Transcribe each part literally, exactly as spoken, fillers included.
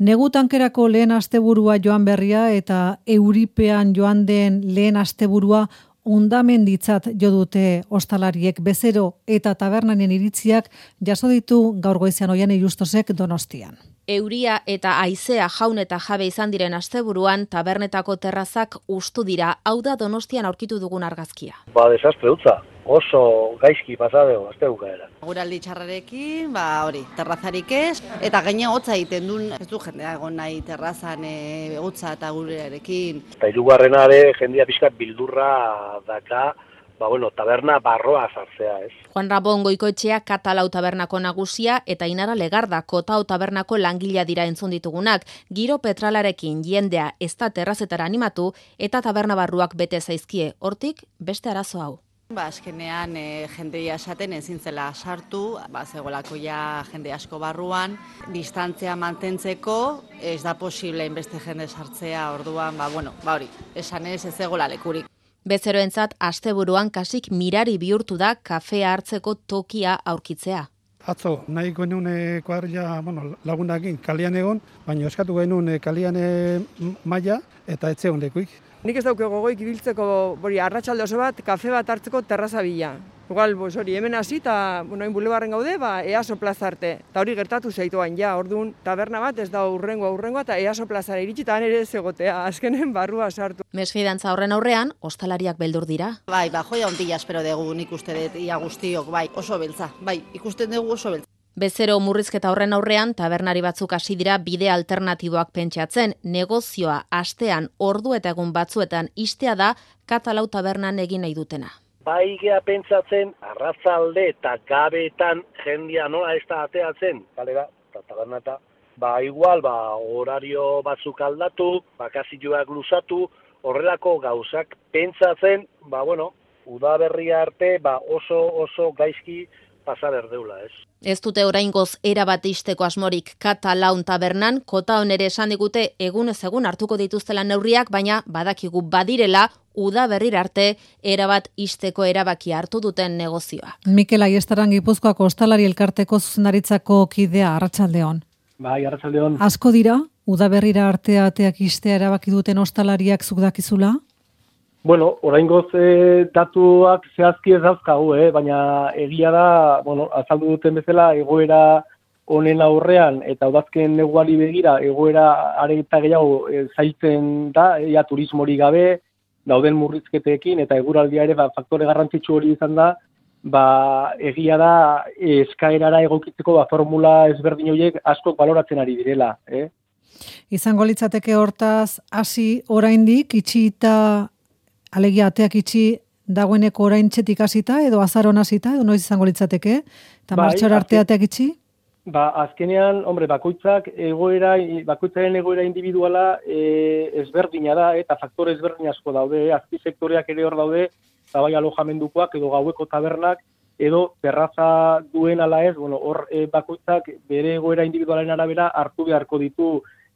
Negu tankerako lehen asteburua joan berria eta euripean joan den lehen asteburua hondamenditzat jo dute ostalariek. Bezero eta tabernanen iritziak jaso ditu gaur goizean Oiane Justosek Donostian. Euria eta haizea jaun eta jabe izan diren asteburuan tabernetako terrazak hustu dira. Hau da Donostian aurkitu dugun argazkia. Ba, desastre utza. Oso gaizki pasadeo astebukaera. Guraldi txarrarekin, ba hori, terrazarik ez, eta gaine hotza egiten duen, ez du jendea egon nahi terrazan e, hotza eta gurearekin. Eta hirugarrena ere jendia pixkat bildurra daka, ba bueno, taberna barroa sartzea, ez? Juan Ramon Goikoetxea Katalau tabernako nagusia eta Inara Legarda Kotao tabernako langilea dira entzun ditugunak. Giro petralarekin jendea ez da terrazetara animatu eta taberna barruak bete zaizkie. Hortik beste arazo hau. Ba, azkenean e, jendea esaten ezin zela sartu, ba, zegoelako ja jende asko barruan, distantzia mantentzeko ez da posible beste jende sartzea, orduan, ba, bueno, ba hori, esan ez ez zegoela lekurik. Bezeroentzat asteburuan kasik mirari bihurtu da kafea hartzeko tokia aurkitzea. Atzo, nahi genuen e, kuadrilla bueno, lagunakin kalian egon, baina eskatu genuen e, kalian e, maila eta etxe hondekuik. Nik ez dauke gogoik ibiltzeko bori arratsalde oso bat, kafe bat hartzeko terraza bila. Igual, bos, hori, hemen hasi eta bueno, bulebarren gaude, ba, Easo plaza arte. Eta hori gertatu zaituan, ja, orduan taberna bat ez da urrengoa urrengoa eta Easo plazara iritsi eta ere zegotea, azkenen barrua sartu. Mesfidantza horren aurrean, ostalariak beldur dira. Bai, ba, joia ondila espero dugu nik uste dut, ia guztiok, bai, oso beltza, bai, ikusten dugu oso beltza. Bezero murrizketa horren aurrean, tabernari batzuk hasi dira bide alternatiboak pentsatzen. Negozioa astean ordu eta egun batzuetan istea da Katalau tabernan egin nahi dutena. Bai gea pentsatzen, arratzalde eta gabeetan jendia nola ez da ateatzen, kalera, eta tabernata. Ba igual, ba horario batzuk aldatu, bakazioak luzatu, horrelako gauzak pentsatzen, ba bueno, udaberria arte, ba oso oso gaizki pasa berdeula, ez? Ez dute oraingoz erabat isteko asmorik Katalaun tabernan, Kotaon ere esan digute egunez egun hartuko dituztela neurriak, baina badakigu badirela uda berrira arte erabat isteko erabakia hartu duten negozioa. Mikel Aiestaran Gipuzkoako Ostalari Elkarteko zuzendaritzako kidea, arratsaldeon. Bai, arratsaldeon. Asko dira, uda berrira arte ateak istea erabaki duten ostalariak zuk dakizula? Bueno, oraingoz e, datuak zehazki ez dauzkagu, eh? Baina egia da, bueno, azaldu duten bezala egoera honen aurrean eta udazken neguari begira egoera are eta gehiago e, zailtzen da, ja turismori gabe, dauden murrizketekin eta eguraldia ere ba, faktore garrantzitsu hori izan da, ba, egia da eskaerara egokitzeko ba, formula ezberdin horiek asko baloratzen ari direla. Eh? Izango litzateke hortaz, hasi oraindik itxita alegia ateak itxi dagoeneko orain txetik hasita edo azaron hasita edo noiz izango litzateke? Eta bai, martxora arte ateak itxi? Ba, azkenean, hombre, bakoitzak egoera, bakoitzaren egoera individuala e, ezberdina da, eta faktore ezberdin asko daude, azpi sektoreak ere hor daude, eta bai alojamendukoak edo gaueko tabernak, edo terraza duen ala ez, bueno, hor e, bakoitzak bere egoera individualen arabera hartu beharko ditu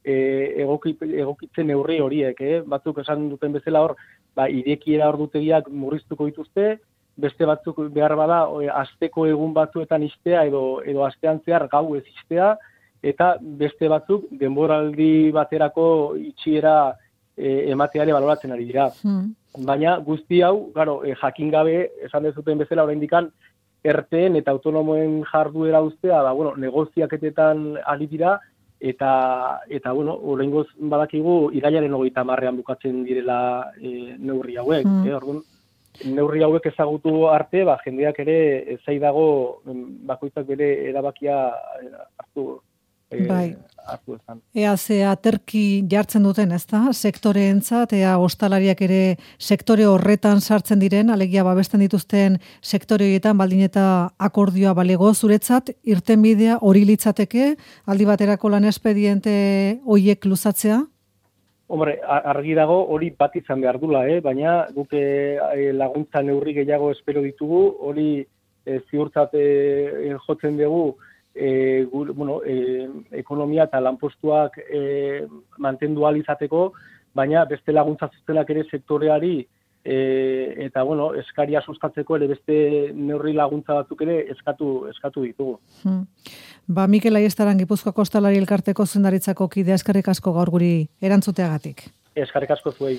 e, egokit, egokitzen neurri horiek, eh? Batzuk esan duten bezala hor, ba, irekiera ordutegiak murriztuko dituzte, beste batzuk behar bada e, asteko egun batzuetan istea edo edo astean zehar gau ez istea, eta beste batzuk denboraldi baterako itxiera e, emateare baloratzen ari dira. Hmm. Baina guzti hau, claro, e, jakin gabe esan dezuten bezala oraindikan erteen eta autonomoen jarduera uztea, ba bueno, negoziaketetan ari dira eta eta bueno, oraingoz badakigu irailaren hogeita hamarrean bukatzen direla e, neurri hauek, hmm. eh, orduan neurri hauek ezagutu arte, ba jendeak ere zai dago bakoitzak bere erabakia hartu e, bai. hartu ezan. Ea ze aterki jartzen duten, ezta? Sektoreentzat, ea ostalariak ere sektore horretan sartzen diren, alegia babesten dituzten sektore horietan baldin eta akordioa balego zuretzat, irtenbidea hori litzateke, aldi baterako lan espediente hoiek luzatzea? Hombre, argi dago hori bat izan behar dula, eh? Baina guk e, laguntza neurri gehiago espero ditugu, hori e, ziurtzat e, jotzen dugu, E, gur, bueno, e, ekonomia eta lanpostuak e, mantendu ahal izateko, baina beste laguntza zuzenak ere sektoreari e, eta bueno, eskaria sustatzeko ere beste neurri laguntza batzuk ere eskatu eskatu ditugu. Hmm. Ba, Mikel Aiestaran Gipuzkoako Ostalari Elkarteko zuzendaritzako kidea, eskerrik asko gaur guri erantzuteagatik. Eskerrik asko zuei.